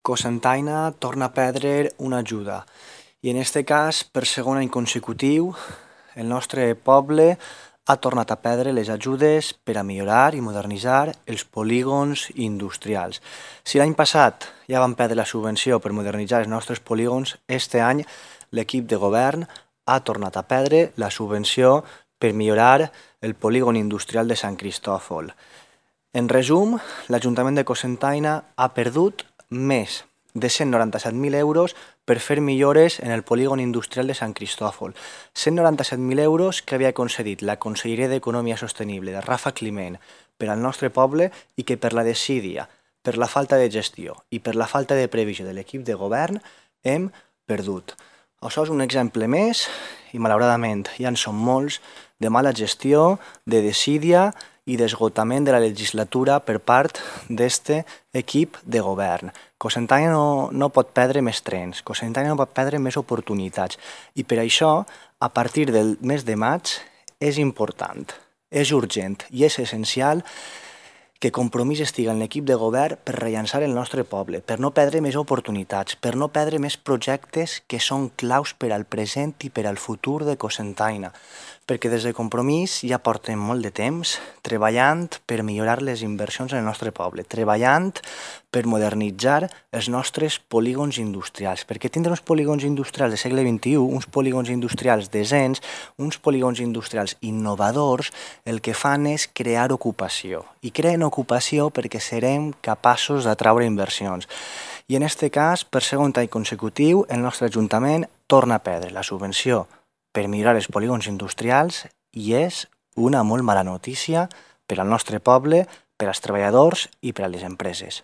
Cocentaina torna a perdre una ajuda i en este cas, per segon any consecutiu, el nostre poble ha tornat a perdre les ajudes per a millorar i modernitzar els polígons industrials. Si l'any passat ja vam perdre la subvenció per modernitzar els nostres polígons, este any l'equip de govern ha tornat a perdre la subvenció per millorar el polígon industrial de Sant Cristòfol. En resum, l'Ajuntament de Cocentaina ha perdut més de 197.000 euros per fer millores en el polígon industrial de Sant Cristòfol. 197.000 euros que havia concedit la Conselleria d'Economia Sostenible de Rafa Climent per al nostre poble i que per la desídia, per la falta de gestió i per la falta de previsió de l'equip de govern hem perdut. Això és un exemple més i malauradament ja en són molts de mala gestió, de desídia i d'esgotament de la legislatura per part d'este equip de govern. Cocentaina no pot perdre més trens, Cocentaina no pot perdre més oportunitats i per això, a partir del mes de maig, és important, és urgent i és essencial que Compromís estiga en l'equip de govern per rellançar el nostre poble, per no perdre més oportunitats, per no perdre més projectes que són claus per al present i per al futur de Cocentaina, perquè des de Compromís ja portem molt de temps treballant per millorar les inversions en el nostre poble, treballant per modernitzar els nostres polígons industrials, perquè tindre uns polígons industrials del segle XXI, uns polígons industrials decents, uns polígons industrials innovadors, el que fan és crear ocupació. I creen ocupació perquè serem capaços d'atraure inversions. I en aquest cas, per segon any consecutiu, el nostre Ajuntament torna a perdre la subvenció per millorar els polígons industrials i és una molt mala notícia per al nostre poble, per als treballadors i per a les empreses.